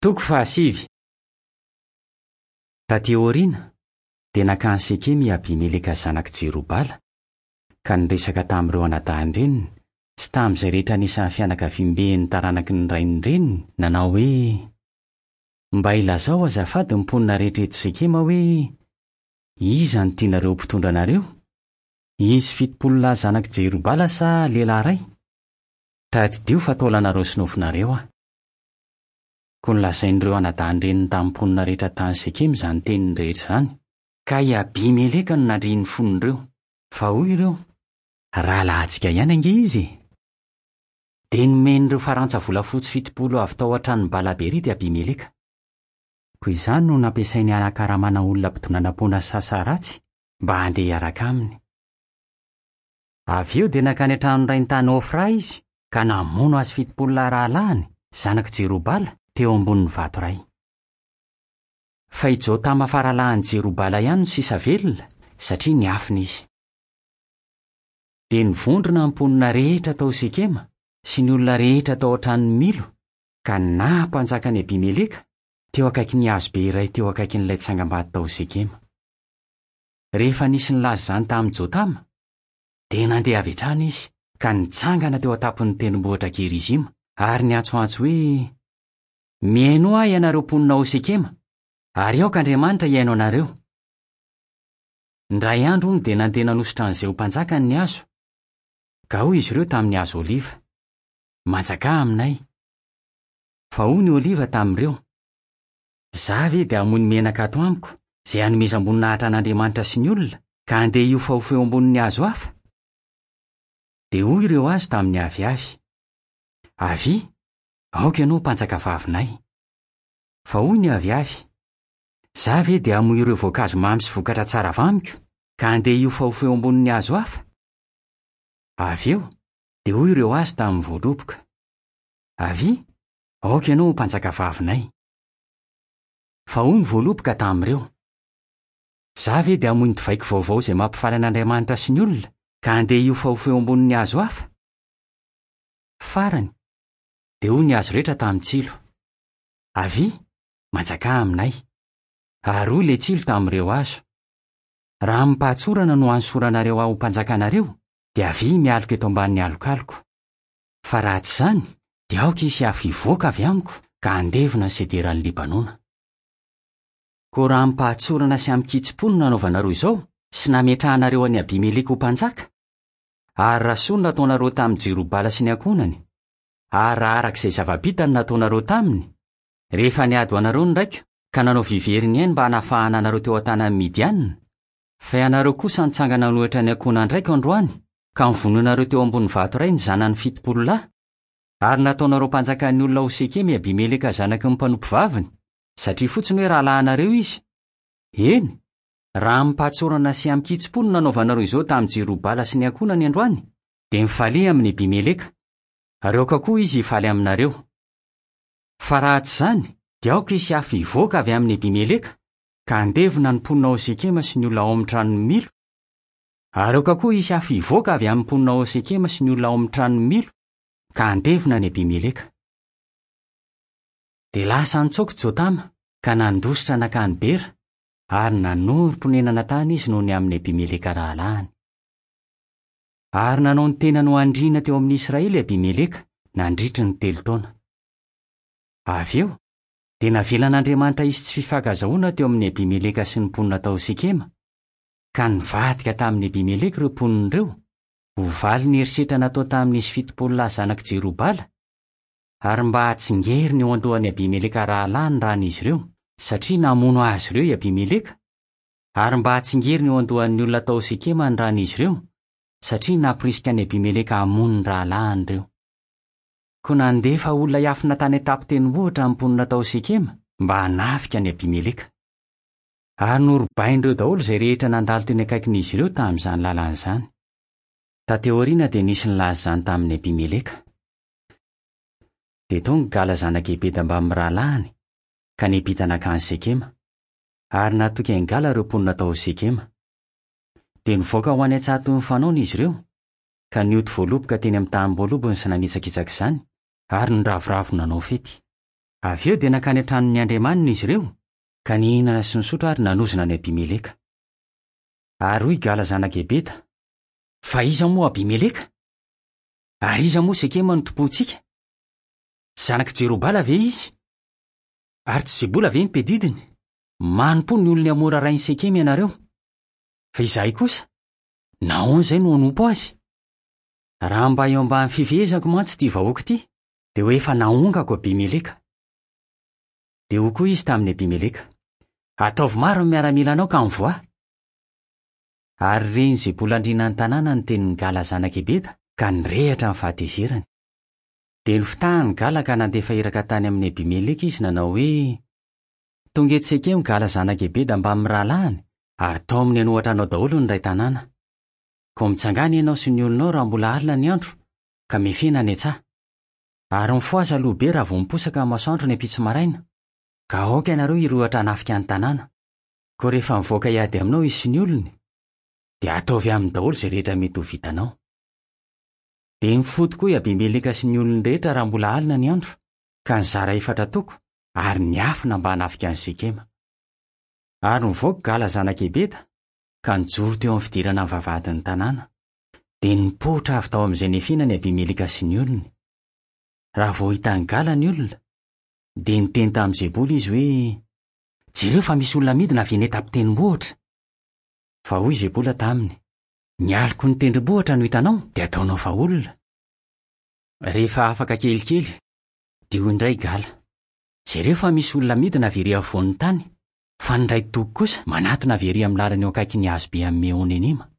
Toko fahasivy. Tatỳ aoriana, dia nankany Sekema i Abimeleka zanak'i Jerobala, ka niresaka tamin'ireo anadahin-dreniny sy tamin'izay rehetra anisan'ny fianakaviamben'ny taranaky ny rain'ny reniny, nanao hoe, Mba ilazao azafady ny mponina rehetra eto Sekema hoe, 'Iza no tianareo ho mpitondra anareo? Izy 70 lahy zanak'i Jerobala sa lehilahy iray? Tadidio fa taolanareo sy nofonareo aho. Koa nolazain'ireo anadahin-dreniny tamin'ny mponina rehetra tany Sekema izany teniny rehetra izany. Ka i Abimeleka no nandria ny fon'ireo. Fa hoy ireo, Rahalahintsika ihany ange izy e! Dia nomen'ireo farantsa volafotsy 70 avy tao an-tranon'i Bala-berita i Abimeleka. Koa izany no nampiasainy hanakaramana olona mpidonanam-poana sy sasa ratsy mba handeha hiaraka aminy. Avy eo dia nankany an-tranon-drainy tany Ofra izy ka namono azy 70 lahy rahalahiny, zanak'i Jerobala, teo ambonin'ny vato iray. Fa i Jotama faralahin'i Jerobala ihany no sisa velona, satria niafina izy. Dia nivondrona ny mponina rehetra tao Sekema sy ny olona rehetra tao an-tranon'i Milo, ka naha mpanjaka an'i Abimeleka, teo akaikin'ny hazobe iray teo akaikin'ilay tsangambato tao Sekema. Rehefa nisy nilaza izany tamin'i Jotama, dia nandeha avy hatrany izy ka nitsangana teo an-tampon'ny tendrombohitra Gerizima ary niantsoantso hoe, Mihainoa ahy ianareo mponina ao Sekema, ary aoka Andriamanitra hihaino anareo. Indray andro, hono, dia nandeha nanosotra an'i Zeho mpanjakany ny hazo, ka hoy izy ireo tamin'ny hazo oliva, Manjakà aminay. Fa hoy ny oliva tamin'ireo, Izaho ve dia hamoy ny menaka ato amiko, izay hanomezam-boninahitra an'Andriamanitra sy ny olona, ka handeha hiofahofa eo ambonin'ny hazo hafa? Dia hoy ireo hazo tamin'ny aviavy, Avia, aoka ianao ho mpanjakavavinay. Fa hoy ny aviavy, Izaho ve dia hamoy ireo voankazo mamy sy vokatra tsara avy amiko, ka handeha hiofahofa eo ambonin'ny hazo hafa? Avy eo, dia hoy ireo hazo tamin'ny voaloboka, Avia, aoka ianao ho mpanjakavavinay. Fa hoy ny voaloboka tamin'ireo, Izaho ve dia hamoy ny divaiko vaovao izay mampifaly an'Andriamanitra sy ny olona, ka handeha hiofahofa eo ambonin'ny hazo hafa? Farany, dia hoy ny hazo rehetra tamin'ny tsilo, Avia, manjakà aminay. Ary hoy ilay tsilo tamin'ireo hazo, Raha amim-pahatsorana no anosoranareo ahy ho mpanjakanareo, dia avia mialoka eto ambanin'ny alokaloko. Fa raha tsy izany, dia aoka hisy afo hivoaka avy amiko ka handevona ny sederan'i Libanona. Koa raha amim-pahatsorana sy amin-kitsim-po no nanaovanareo izao, sy nametrahanareo an'i Abimeleka ho mpanjaka, ary raha soa no nataonareo tamin'i Jerobala sy ny ankohonany, ary raha araka izay zava-bitany no nataonareo taminy, rehefa niady ho anareo ny raiko ka nanao vivery ny ainy mba hanafahana anareo teo an-tanan'ny Midianina, Fa ianareo kosa nitsangana nanohitra ny ankohonan-draiko androany, ka novonoinareo teo ambony vato iray ny zanany 70 lahy, ary nataonareo mpanjakan'ny olona ao Sekema i Abimeleka zanaky ny mpanompovaviny, satria fotsiny hoe rahalahinareo izy. Eny, raha amim-pahatsorana sy amin-kitsim-po no nanaovanareo izao tamin'i Jerobala sy ny ankohonany androany, dia mifalia amin'i Abimeleka, ary aoka koa izy hifaly aminareo. Fa raha tsy izany, dia aoka hisy afo hivoaka avy amin'i Abimeleka, ka handevona ny mponina ao Sekema sy ny olona ao amin'ny tranon'i Milo, ary aoka koa hisy afo hivoaka avy amin'ny mponina ao Sekema sy ny olona ao amin'ny tranon'i Milo, ka handevona an'i Abimeleka. Dia lasa nitsoaka i Jotama ka nandositra nankany Bera, ary nanorim-ponenana tany izy noho ny amin'i Abimeleka rahalahiny. Ary nanao ny tenany ho andriana teo amin'ny Israely i Abimeleka nandritry ny telo taona. Avy eo, Dia navelan'Andriamanitra hisy tsy fifankazahoana teo amin'i Abimeleka sy ny mponina tao Sekema, ka nivadika tamin'i Abimeleka ireo mponina ireo, ho valin'ny herisetra natao tamin'izy 70 lahy zanak'i Jerobala, ary mba hahatsingerina eo an-dohan'i Abimeleka rahalahiny ny ran'izy ireo, satria namono azy ireo i Abimeleka, ary mba hahatsingerina eo an-dohan'ny olona tao Sekema ny ran'izy ireo, satria namporisika an'i Abimeleka hamono ny rahalahiny ireo. Koa nandefa olona hiafina tany an-tampon-tendrombohitra ny mponina tao Sekema mba hanafika an'i Abimeleka. Ary norobain'ireo daholo izay rehetra nandalo teny akaikin'izy ireo tamin'izany lalana izany. Tatỳ aoriana dia nisy nilaza izany tamin'i Abimeleka. Dia tonga i Gala zanak'i Ebeda mbamin'ny rahalahiny, ka niampita nankany Sekema. Ary natoky an'i Gala ireo mponina tao Sekema. Dia nivoaka ho any an-tsaha toy ny fanaony izy ireo, ka nioty voaloboka teny amin'ny tanim-boalobony sy nanitsakitsaka izany, ary niravoravo nanao fety. Avy eo dia nankany an-tranon'ny andriamaniny izy ireo, ka nihinana sy nisotro ary nanozona an'i Abimeleka. Ary hoy Gala zanak'i Ebeda, Fa iza moa Abimeleka? Ary iza moa Sekema no tompointsika? Tsy zanak'i Jerobala ve izy? Ary tsy Zebola ve ny mpiadidiny? Manompoa ny olon'i Hamora rain'i Sekema ianareo. Fa izahay kosa, nahoana izay no hanompo azy? Raha mba eo ambany fifehezako mantsy ity vahoaka ity, dia ho efa naongako Abimeleka. Dia hoy koa izy tamin'i Abimeleka, Ataovy maro ny miaramilanao ka mivoaha. Ary ren'i Zebola andrianan'ny tanàna ny tenin'i Gala zanak'i Ebeda, ka nirehitra ny fahatezerany. Dia nofitahany Gala ka nandefa iraka tany amin'i Abimeleka izy nanao hoe, Tonga eto Sekema Gala zanak'i Ebeda mbamin'ny rahalahiny, ary taominy hanohatra anao daholo ny iray tanàna. Koa mitsangàna ianao sy ny olonao raha mbola alina ny andro, ka mifena any an-tsaha. Ary mifohaza aloha be raha vao miposaka ny masoandro ny ampitso maraina, ka aoka ianareo hirohotra hanafika ny tanàna. Koa rehefa mivoaka hiady aminao izy sy ny olony, dia ataovy aminy daholo izay rehetra mety ho vitanao. Dia nifoha tokoa i Abimeleka sy ny olony rehetra raha mbola alina ny andro, ka nizara efatra toko ary niafina mba hanafika an'i Sekema. Ary nivoaka Gala zanak'i Ebeda, ka nijoro teo amin'ny fidirana ny vavahadin'ny tanàna. Dia nipoitra avy tao amin'izay niafinany Abimeleka sy ny olony. Raha vao hitan'i Gala ny olona, dia niteny tamin'i Zebola izy hoe, Jereo fa misy olona midina avy eny an-tampon-tendrombohitra. Fa hoy Zebola taminy, Ny aloky ny tendrombohitra no hitanao, dia ataonao fa olona. Rehefa afaka kelikely, dia hoy indray Gala, Jereo fa misy olona midina avy ery afovoan'ny tany, fa ny iray toko kosa manatona avy ery amin'ny lalana eo akaikin'ny hazobe amin'i Meonenima.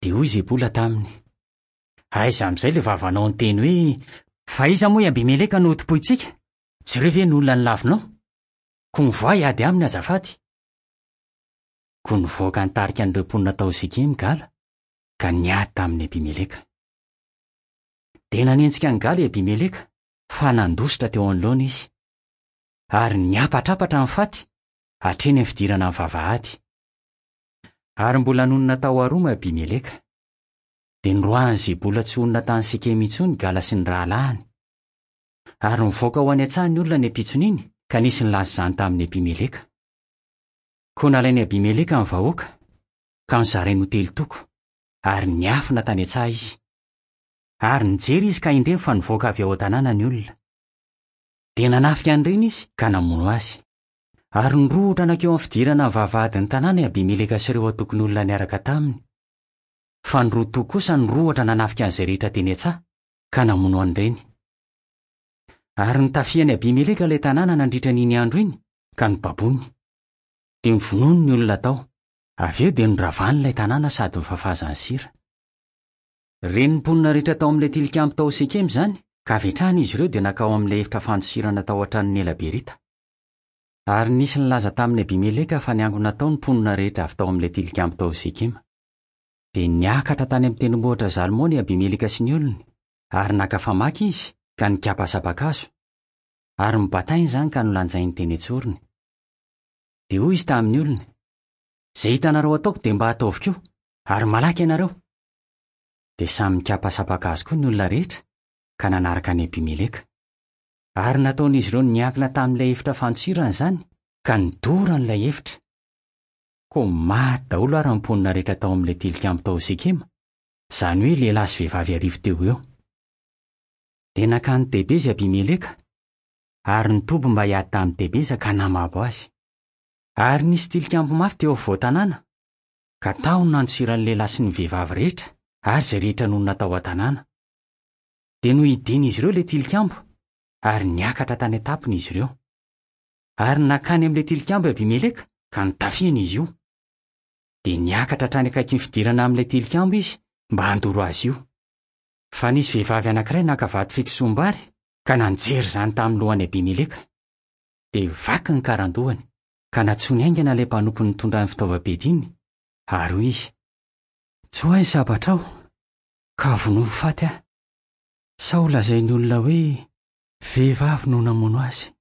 Dia hoy Zebola taminy, Aiza amin'izay ilay vavanao niteny hoe, 'Fa iza moa i Abimeleka no hotompointsika? Jereo ve ny olona nolavinao? Koa mivoaha hiady aminy azafady. Koa nivoaka nitarika an'ireo mponina tao Sekema i Gala, ka niady tamin'i Abimeleka. Dia nanenjika an'i Gala i Abimeleka, fa nandositra teo anoloany izy. Ary niampatrampatra ny faty hatreny amin'ny fidirana ny vavahady. Ary mbola nonina tao Aroma i Abimeleka. Dia noroahin'i Zebola tsy honina tany Sekema intsony i Gala sy ny rahalahiny. Ary nivoaka ho any an-tsaha ny olona ny ampitson'iny, ka nisy nilaza izany tamin'i Abimeleka. Koa nalain'i Abimeleka ny vahoaka, ka nozarainy ho telo toko, ary niafina tany an-tsaha izy. Ary nijery izy ka indreny fa nivoaka avy ao an-tanàna ny olona. Dia nanafika an'ireny izy ka namono azy. Ary nirohotra nankeo amin'ny fidirana ny vavahadin'ny tanàna i Abimeleka sy ireo antokon'olona niaraka taminy. Fa ny roa toko kosa nirohotra nanafika an'izay rehetra teny an-tsaha, ka namono an'ireny. Ary notafihan'i Abimeleka ilay tanàna nandritra an'iny andro iny, ka nobaboiny. Dia novonoiny ny olona tao. Avy eo dia noravany ilay tanàna sady nofafazany sira. Ren'ny mponina rehetra tao amin'ilay tilikambo tao Sekema izany, ka avy hatrany izy ireo dia nankao amin'ilay efitra fandosirana tao an-tranon'i Ela-berita. Ary nisy nilaza tamin'i Abimeleka fa niangona tao ny mponina rehetra avy tao amin'ilay tilikambo tao Sekema. Dia niakatra tany amin'ny tendrombohitra Zalmona i Abimeleka sy ny olony, ary naka famaky izy ka nikapa saba-kazo, ary nobatainy izany ka nolanjainy teny an-tsorony. Dia hoy izy tamin'ny olony, Izay hitanareo ataoko dia mba ataovy koa, ary malaky ianareo! Dia samy nikapa saba-kazo koa ny olona rehetra ka nanaraka an'i Abimeleka. Ary nataon'izy ireo niankina tamin'ilay efitra fandosirana izany, ka nidorany ilay efitra. Koa maty daholo àry ny mponina rehetra tao amin'ilay tilikambo tao Sekema, izany hoe lehilahy sy vehivavy arivo teo ho eo. Dia nankany Tebeza i Abimeleka, ary nitoby mba hiady tamin'i Tebeza ka namabo azy. Ary nisy tilikambo mafy teo afovoan-tanàna, ka tao no nandosiran'ny lehilahy sy ny vehivavy rehetra ary izay rehetra nonina tao an-tanàna. Dia nohidian'izy ireo ilay tilikambo, ary niakatra tany an-tampony izy ireo. Ary nankany amin'ilay tilikambo i Abimeleka, ka notafihany izy io. Dia niakatra hatrany akaikin'ny fidirana amin'ilay tilikambo izy mba handoro azy io. Fa nisy vehivavy anankiray naka vato fikisoam-bary ka nanjery izany tamin'ny lohan'i Abimeleka. Dia vaky ny karandohany, ka nantsoiny haingana ilay mpanompony nitondra ny fitaovam-piadiany, ary hoy izy, Tsoahy ny sabatrao, ka vonoy ho faty aho, sao holazain'ny olona hoe, 'Vehivavy no namono azy.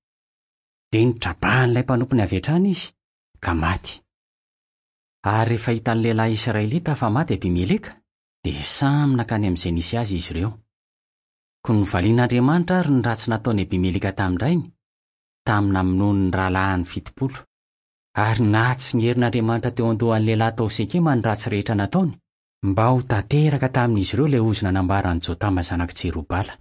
Dia notrabahan'ilay mpanompony avy hatrany izy, ka maty. Ary rehefa hitan'ny lehilahy israelita fa maty Abimeleka, dia samy nankany amin'izay nisy azy izy ireo. Koa novalian'Andriamanitra àry ny ratsy nataon'i Abimeleka tamin-drainy, tamin'ny namonoany ny rahalahiny 70. Ary nahatsingerin'Andriamanitra teo an-dohan'ny lehilahy tao Sekema ny ratsy rehetra nataony, mba ho tanteraka tamin'izy ireo ilay ozona nambaran'i Jotama zanak'i Jerobala.